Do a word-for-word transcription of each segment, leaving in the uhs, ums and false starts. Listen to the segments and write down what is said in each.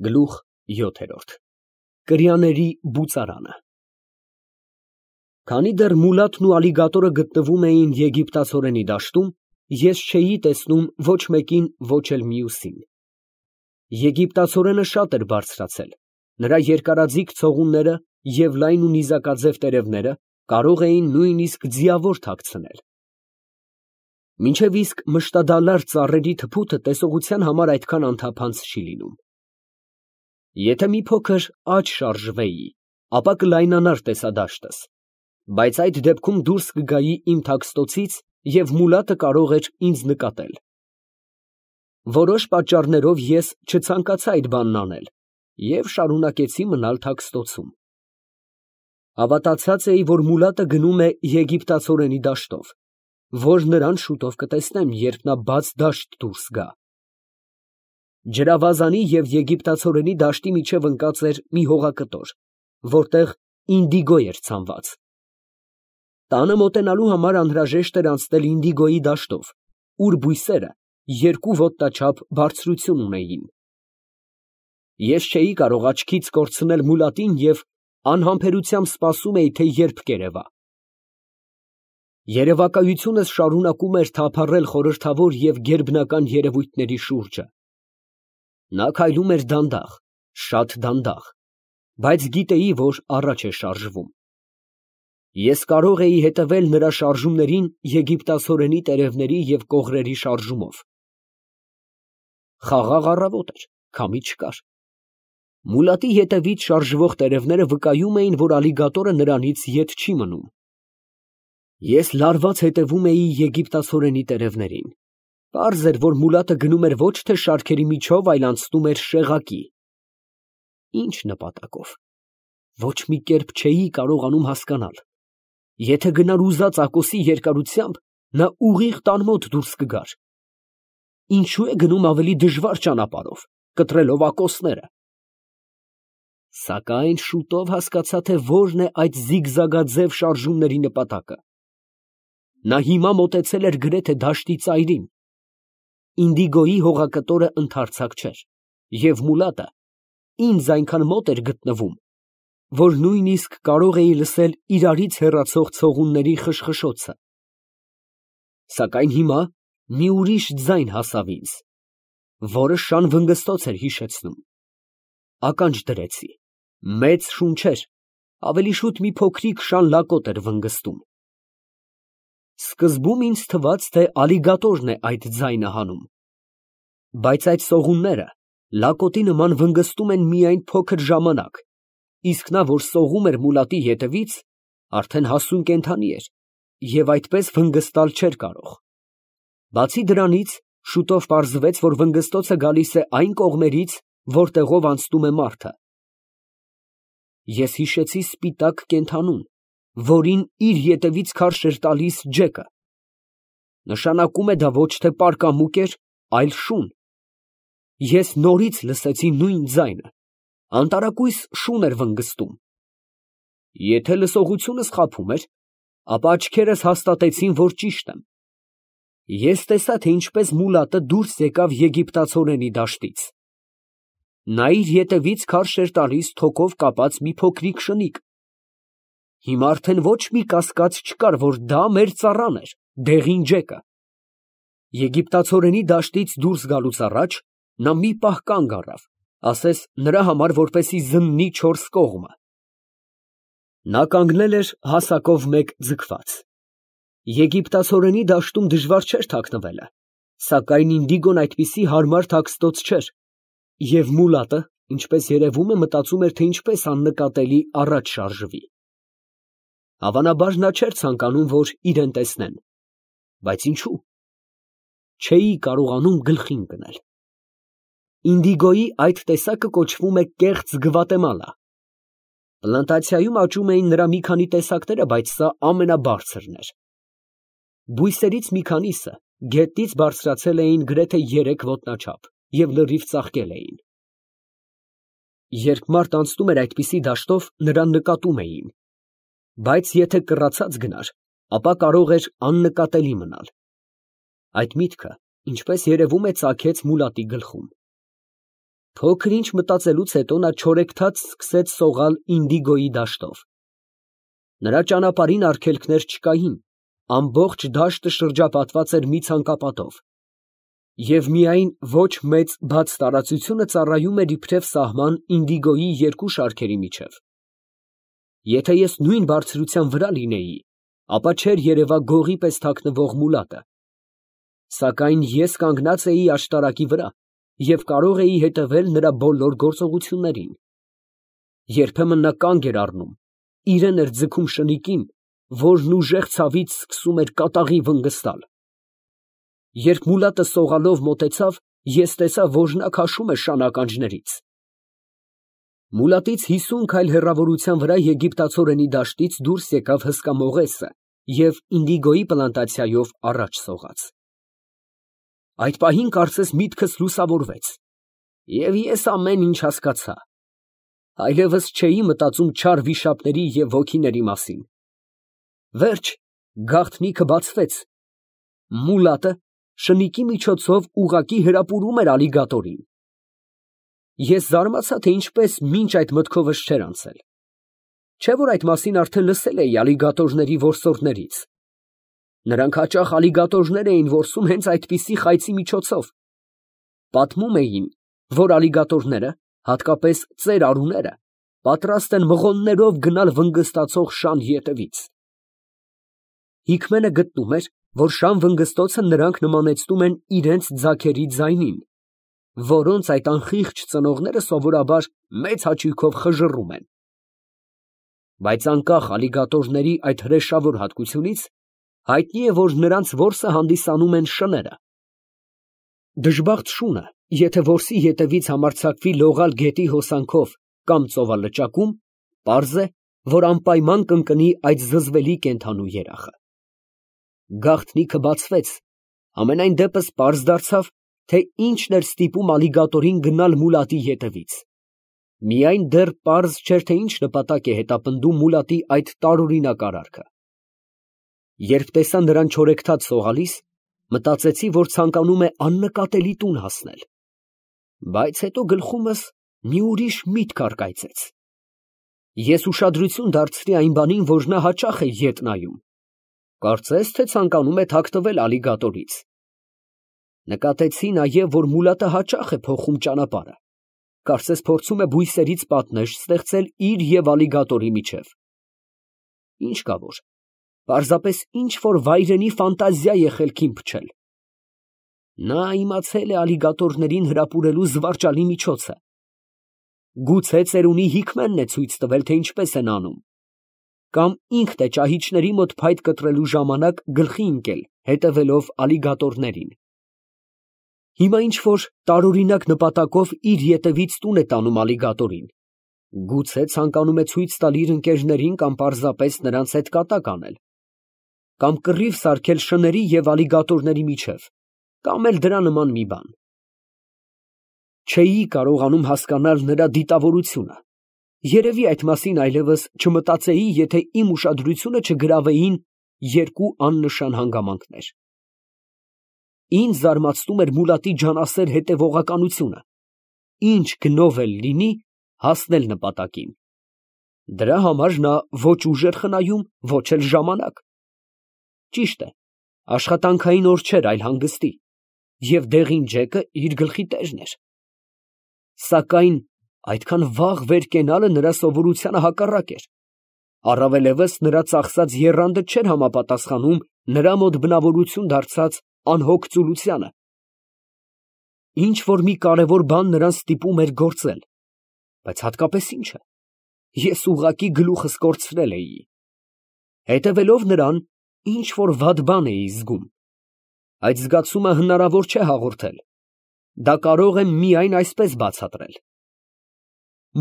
Գլուխ յոթ Կրյաների բուծարանը Քանի դեռ Մուլադն ու ալիգատորը գտնվում էին եգիպտացորենի դաշտում, ես չէի տեսնում ոչ մեկին, ոչ էլ մյուսին։ Եգիպտացորենը շատ էր բարձրացել, նրա երկարաձիգ ցողունները և լայն ու նիզակաձև տերևները կարող էին նույնիսկ ձիավոր թաքցնել։ Մինչև իսկ մշտադալար ծառերի թփուտը տեսողության համար այդքան անթափանց չի լինում։ Եթե մի փոքր աջ շարժվեի, ապա կլայնանար տեսադաշտս, բայց այդ դեպքում դուրս կգայի իմ թաքստոցից և Մուլադը կարող էր ինձ նկատել։ Որոշ պատճառներով ես չցանկացա այդ բանն անել և շարունակեցի մնալ թաքստոցում։ Հավատացած էի, որ Մուլադը գնում է եգիպտացորենի դաշտով, որ նրան շուտով կտեսնեմ, երբ նա բաց դաշտ դուրս գա։ Ջրավազանի և եգիպտացորենի դաշտի միջև ընկած էր մի հողակտոր, որտեղ ինդիգո էր ցանված։ Տանը մոտենալու համար անհրաժեշտ էր անցնել ինդիգոյի դաշտով, ուր բույսերը երկու ոտնաչափ բարձրություն ունեին։ Ես չէի կարող աչքից կորցնել Մուլադին և անհամբերությամբ սպասում էի, թե երբ կերևա։ Երևակայությունս շարունակում էր թափառել խորհրդավոր և գերբնական երևույթների շուրջը։ Նա քայլում էր դանդաղ, շատ դանդաղ, բայց գիտեի, որ առաջ է շարժվում։ Ես կարող էի հետևել նրա շարժումներին եգիպտացորենի տերևների և կողրերի շարժումով։ Խաղաղ առավոտ էր, քամի չկար։ Մուլադի ետևից շարժվող տերևները վկայում էին, որ ալիգատորը նրանից ետ չի մնում։ Ես լարված հետևում էի եգիպտացորենի տերևներին։ Պարզ էր, որ Մուլադը գնում էր ոչ թե շարքերի միջով, այլ անցնում էր շեղակի։ Ի՞նչ նպատակով։ Ոչ մի կերպ չէի կարողանում հասկանալ։ Եթե գնար ուզած ակոսի երկարությամբ, նա ուղիղ տան մոտ դուրս կգար։ Ինչո՞ւ է գնում ավելի դժվար ճանապարհով, կտրելով ակոսները։ Սակայն շուտով հասկացա, թե որն է այդ զիգզագաձև շարժումների նպատակը։ Նա հիմա մոտեցել էր գրեթե դաշտի ծայրին։ Ինդիգոյի հողակտորը ընդարձակ չէր, և Մուլադը ինձ այնքան մոտ էր գտնվում, որ նույնիսկ կարող էի լսել իրարից հեռացող ցողունների խշխշոցը։ Սակայն հիմա մի ուրիշ ձայն հասավ ինձ, որը շան վնգստոց էր հիշեցնում։ Ականջ դրեցի, մեծ շուն չէր, ավելի շուտ մի փոքրիկ շան լակոտ էր վնգստում։ Սկզբում ինձ թվաց, թե ալիգատորն է այդ ձայնը հանում, բայց այդ սողունները լակոտի նման վնգստում են միայն փոքր ժամանակ, իսկ նա, որ սողում էր Մուլադի ետևից, արդեն հասուն կենդանի էր և այդպես վնգստալ չէր կարող։ Բացի դրանից, շուտով պարզվեց, որ վնգստոցը գալիս է այն կողմերից, որտեղով անցնում է մարդը։ Ես հիշեցի սպիտակ կենդանուն, որին իր ետևից քարշ էր տալիս ջեկը։ Նշանակում է դա ոչ թե պարկամուկ էր, այլ շուն։ Ես նորից լսեցի նույն ձայնը, անտարակույս շուն էր վնգստում։ Եթե լսողությունս խաբում էր, ապա աչքերս հաստատեցին, որ ճիշտ եմ։ Ես տեսա, թե ինչպես Մուլադը դուրս եկավ եգիպտացորենի դաշտից։ Նա իր ետևից քարշ էր տալիս թոկով կապած մի փոքրիկ շնիկ։ Հիմա արդեն ոչ մի կասկած չկար, որ դա մեր ծառան էր, դեղին ջեկը։ Եգիպտացորենի դաշտից դուրս գալուց առաջ նա մի պահ կանգ առավ, ասես նրա համար որպեսզի զննի չորս կողմը։ Նա կանգնել էր հասակով մեկ ձգված։ Եգիպտացորենի դաշտում դժվար չէր թաքնվելը, սակայն ինդիգոն այդպիսի հարմար թաքստոց չէր, և Մուլադը, ինչպես երևում է, մտածում էր, թե ինչպես աննկատելի առաջ շարժվի։ Հավանաբար նա չէր ցանկանում, որ իրեն տեսնեն, բայց ինչու՞։ Չէի կարողանում գլխի ընկնել։ Ինդիգոյի այդ տեսակը կոչվում է կեղծ գվատեմալա։ Պլանտացիայում աճում էին նրա մի քանի տեսակները, բայց սա ամենաբարձրն էր։ Բույսերից մի քանիսը գետնից բարձրացել էին գրեթե երեք ոտնաչափ և լրիվ ծաղկել էին։ Երբ մարդ անցնում էր այդպիսի դաշտով, նրան նկատում էին, բայց եթե կռացած գնար, ապա կարող էր աննկատելի մնալ։ Այդ միտքը, ինչպես երևում է, ծագեց Մուլադի գլխում։ Փոքր ինչ մտածելուց հետո նա չորեքթաթ սկսեց սողալ ինդիգոյի դաշտով։ Նրա ճանապարհին արգելքներ չկային, ամբողջ դաշտը շրջապատված էր մի ցանկապատով, և միայն ոչ մեծ բաց տարածությունը ծառայում էր իբրև սահման ինդիգոյի երկու շարքերի միջև։ Եթե ես նույն բարձրության վրա լինեի, ապա չէր երևա գողի պես թաքնվող մուլատը, սակայն ես կանգնած էի աշտարակի վրա և կարող էի հետևել նրա բոլոր գործողություններին։ Երբեմն նա կանգ էր առնում, իրեն էր ձգում շնիկին, որն ուժեղ ցավից սկսում էր կատաղի վնգստալ։ Երբ մուլատը սողալով մոտեցավ, ես տեսա, որ նա քաշում է շան ականջներից։ Մուլատից հիսուն քայլ հեռավորության վրա եգիպտացորենի դաշտից դուրս եկավ հսկա մողեսը և ինդիգոյի պլանտացիայով առաջ սողաց։ Այդ պահին կարծես միտքս լուսավորվեց, և ես ամեն ինչ հասկացա։ Այլևս չէի մտածում չար վիշապների և ոգիների մասին։ Վերջ, գաղտնիքը բացվեց. մուլատը շնիկի միջոցով ուղղակի հրապուրում էր ալիգատորին։ Ես զարմացա, թե ինչպես մինչ այդ մտքովս չէր անցել։ Չէ՞ որ այդ մասին արդեն լսել էի ալիգատորների որսորդներից։ Նրանք հաճախ ալիգատորներ էին որսում հենց այդպիսի խայծի միջոցով։ Պատմում էին, որ ալիգատորները, հատկապես ծեր արուները, պատրաստ են մղոններով գնալ վնգստացող շան ետևից։ Հիկմենը գտնում էր, որ շան վնգստոցը նրանք նմանեցնում են իրենց ձագերի ձայնին, որոնց այդ անխիղճ ծնողները սովորաբար մեծ հաճույքով խժռում են։ Բայց անկախ ալիգատորների այդ հրեշավոր հատկությունից, հայտնի է, որ նրանց որսը հանդիսանում են շները։ Դժբախտ շունը, եթե որսի ետևից համարձակվի լողալ գետի հոսանքով կամ ծովալճակում, պարզ է, որ անպայման կընկնի այդ զզվելի կենդանու երախը։ Գաղտնիքը բացվեց, համենայն դեպս պարզ դարձավ, թե ինչն էր ստիպում ալիգատորին գնալ մուլատի ետևից։ Միայն դեռ պարզ չէր, թե ինչ նպատակ է հետապնդում մուլատի այդ տարօրինակ արարքը։ Երբ տեսա նրան չորեքթաթ սողալիս, մտածեցի, որ ցանկանում է աննկատելի տուն հասնել։ Բայց հետո գլխումս մի ուրիշ միտք առկայծեց։ Ես ուշադրություն դարձրի այն բանին, որ նա հաճախ է ետ նայում։ Կարծես թե ցանկանում է թաքնվել ալիգատորից։ Նկատեցի նաև, որ մուլատը հաճախ է փոխում ճանապարհը, կարծես փորձում է բույսերից պատնեշ ստեղծել իր և ալիգատորի միջև։ Ինչ կա որ, պարզապես ինչ֊որ վայրենի ֆանտազիա է խելքին փչել։ Նա իմացել է ալիգատորներին հրապուրելու զվարճալի միջոցը։ Գուցե ծերունի Հիկմենն է ցույց տվել, թե ինչպես են անում, կամ ինքն է ճահիճների մոտ փայտ կտրելու ժամանակ գլխի ընկել, հետևելով ալիգատորներին։ Հիմա ինչ֊որ տարօրինակ նպատակով իր ետևից տուն է տանում ալիգատորին, գուցե ցանկանում է ցույց տալ իր ընկերներին կամ պարզապես նրանց հետ կատակ անել, կամ կռիվ սարքել շների և ալիգատորների միջև, կամ էլ դրա նման մի բան։ Չէի կարողանում հասկանալ նրա դիտավորությունը, երևի այդ մասին այլևս չմտածեի, եթե իմ ուշադրությունը չգրավեին երկու աննշան հանգամանքներ։ Ինձ զարմացնում էր մուլատի ջանասեր հետևողականությունը, ինչ գնով էլ լինի հասնել նպատակին։ Դրա համար նա ոչ ուժ էր խնայում, ոչ էլ ժամանակ։ Ճիշտ է, աշխատանքային օր չէր, այլ հանգստի, և դեղին ջեկը իր գլխի տերն էր։ Սակայն այդքան վաղ վեր կենալը նրա սովորությանը հակառակ էր, առավելևս նրա ծախսած եռանդը չէր համապատասխանում նրա մոտ բնավորություն դարձած անհոգ ծուլությանը։ Ինչ֊որ մի կարևոր բան նրան ստիպում էր գործել, բայց հատկապես ի՞նչը, ես ուղղակի գլուխս կորցրել էի։ Հետևելով նրան, ինչ֊որ վատ բան էի զգում։ Այդ զգացումը հնարավոր չէ հաղորդել, դա կարող եմ միայն այսպես բացատրել.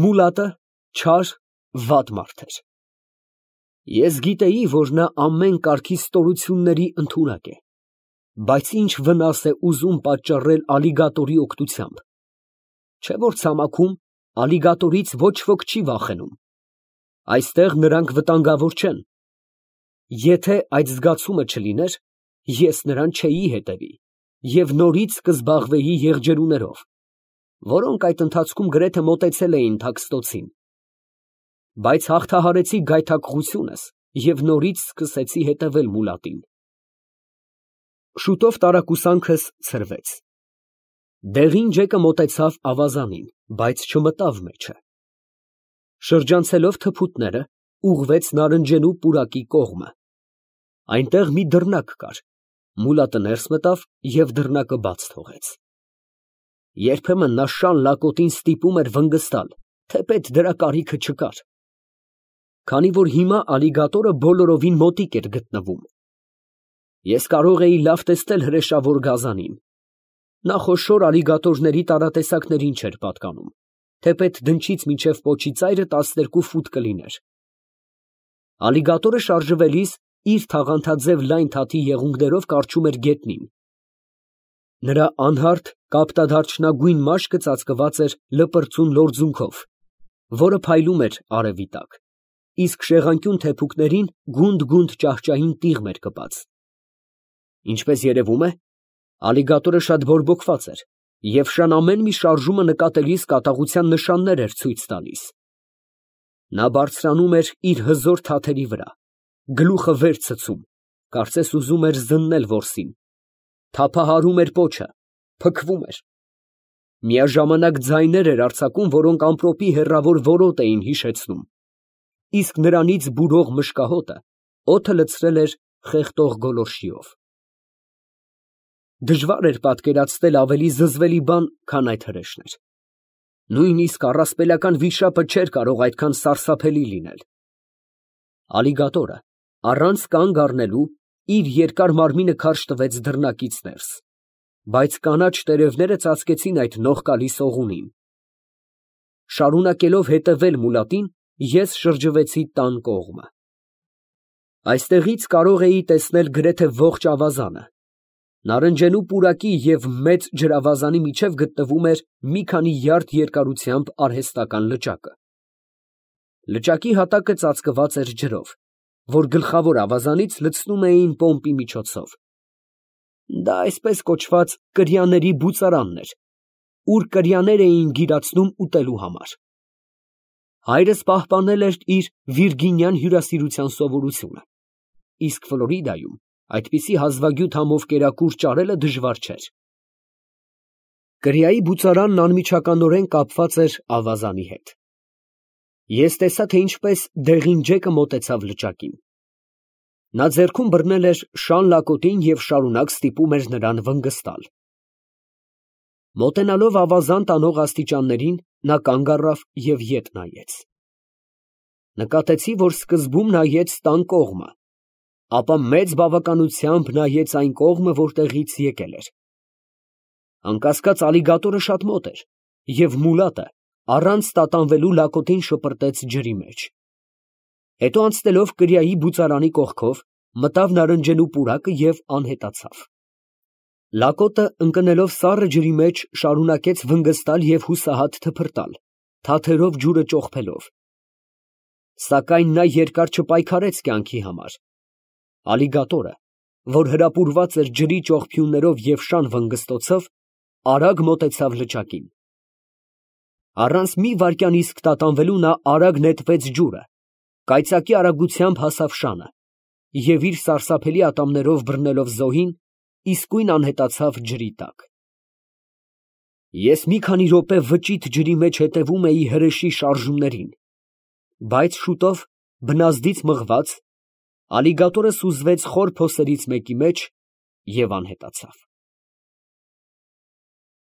մուլատը չար, վատ մարդ էր։ Ես գիտեի, որ նա ամեն կարգի ստորությունների ընդունակ է, բայց ինչ վնաս է ուզում պատճառել ալիգատորի օգնությամբ։ Չէ՞ որ ցամաքում ալիգատորից ոչ ոք չի վախենում։ Այստեղ նրանք վտանգավոր չեն։ Եթե այդ զգացումը չլիներ, ես նրան չէի հետևի և նորից կզբաղվեի եղջերուներով։ որոնք այդ ընթացքում գրեթե մոտեցել էին թաքստոցին։ Բայց հաղթահարեցի գայթակղությունս և նորից սկսեցի հետևել մուլատին։ Շուտով տարակուսանքս ցրվեց։ Դեղին ջեկը մոտեցավ ավազանին, բայց չմտավ մեջը։ Շրջանցելով թփուտները, ուղղվեց նարնջենու պուրակի կողմը։ Այնտեղ մի դռնակ կար, մուլատը ներս մտավ և դռնակը բաց թողեց։ Երբեմն նա շան լակոտին ստիպում էր վնգստալ, թեպետ դրա կարիքը չկար, քանի որ հիմա ալիգատորը բոլորովին մոտիկ էր գտնվում։ Ես կարող էի լավ տեսնել հրեշավոր գազանին։ Նա խոշոր ալիգատորների տարատեսակներին չէր պատկանում, թեպետ դնչից մինչև պոչի ծայրը տասներկու ֆուտ կլիներ։ Ալիգատորը շարժվելիս իր թաղանթաձև լայն թաթի եղունգներով կառչում էր գետնին։ Նրա անհարթ կապտադարչնագույն մաշկը ծածկված էր լպրծուն լորձունքով, որը փայլում էր արևի տակ, իսկ շեղանկյուն թեփուկներին գունդ֊գունդ ճահճային տիղմ էր կպած։ Ինչպես երևում է, ալիգատորը շատ բորբոքված էր և շան ամեն մի շարժումը նկատելիս կատաղության նշաններ էր ցույց տալիս։ Նա բարձրանում էր իր հզոր թաթերի վրա, գլուխը վեր ցցում, կարծես ուզում էր զննել որսին, թափահարում էր պոչը, փքվում էր։ Միաժամանակ ձայներ էր արձակում, որոնք ամպրոպի հեռավոր որոտ էին հիշեցնում, իսկ նրանից բուրող մշկահոտը օդը լցրել էր խեղդող գոլորշիով։ Դժվար էր պատկերացնել ավելի զզվելի բան, քան այդ հրեշներ։ Նույնիսկ առասպելական վիշապը չէր կարող այդքան սարսափելի լինել։ Ալիգատորը, առանց կանգ առնելու, իր երկար մարմինը քարշ տվեց դռնակից ներս, բայց կանաչ տերևները ծածկեցին այդ նողկալի սողունին։ Շարունակելով հետևել մուլատին, ես շրջվեցի տան կողմը։ Այստեղից կարող էի տեսնել գրեթե ողջ ավազանը։ Նարնջենու պուրակի և մեծ ջրավազանի միջև գտնվում էր մի քանի յարդ երկարությամբ արհեստական լճակը։ Լճակի հատակը ծածկված էր ջրով, որ գլխավոր ավազանից լցնում էին պոմպի միջոցով։ Դա այսպես կոչված կրյաների բուծարանն էր, ուր կրյաներ էին գիրացնում ուտելու համար։ Հայրս պահպանել էր իր վիրգինյան հյուրասիրության սովորությունը, իսկ Ֆլորիդայում այդպիսի հազվագյուտ համով կերակուր ճարելը դժվար չէր։ Կրիայի բուծարանն անմիջականորեն կապված էր ավազանի հետ։ Ես տեսա, թե ինչպես դեղին ջեկը մոտեցավ լճակին։ Նա ձեռքում բռնել էր շան լակոտին և շարունակ ստիպում էր նրան վնգստալ։ Մոտենալով ավազան տանող աստիճաններին, նա կանգ առավ և ետ նայեց։ Նկատեցի, որ սկզբում նայեց տան կողմը, ապա մեծ բավականությամբ նայեց այն կողմը, որտեղից եկել էր։ Անկասկած ալիգատորը շատ մոտ էր, և մուլատը առանց տատանվելու լակոտին շպրտեց ջրի մեջ։ Հետո անցնելով կրիայի բուծարանի կողքով, մտավ նարնջենու պուրակը և անհետացավ։ Լակոտը ընկնելով սառը ջրի մեջ, շարունակեց վնգստալ և հուսահատ թփրտալ, թաթերով ջուրը ճոխփելով։ Սակայն նա երկար չպայքարեց կյանքի համար։ Ալիգատորը, որ հրապուրված էր ջրի ճողփյուններով և շան վնգստոցով, արագ մոտեցավ լճակին։ Առանց մի վայրկյան իսկ տատանվելու նա արագ նետվեց ջուրը, կայծակի արագությամբ հասավ շանը և իր սարսափելի ատամներով բռնելով զոհին, իսկույն անհետացավ ջրի տակ։ Ես մի քանի րոպե վճիտ ջրի մեջ հետևում էի հրեշի շարժումներին, բայց շուտով, բնազդից մղված, ալիգատորը սուզվեց խոր փոսերից մեկի մեջ և անհետացավ։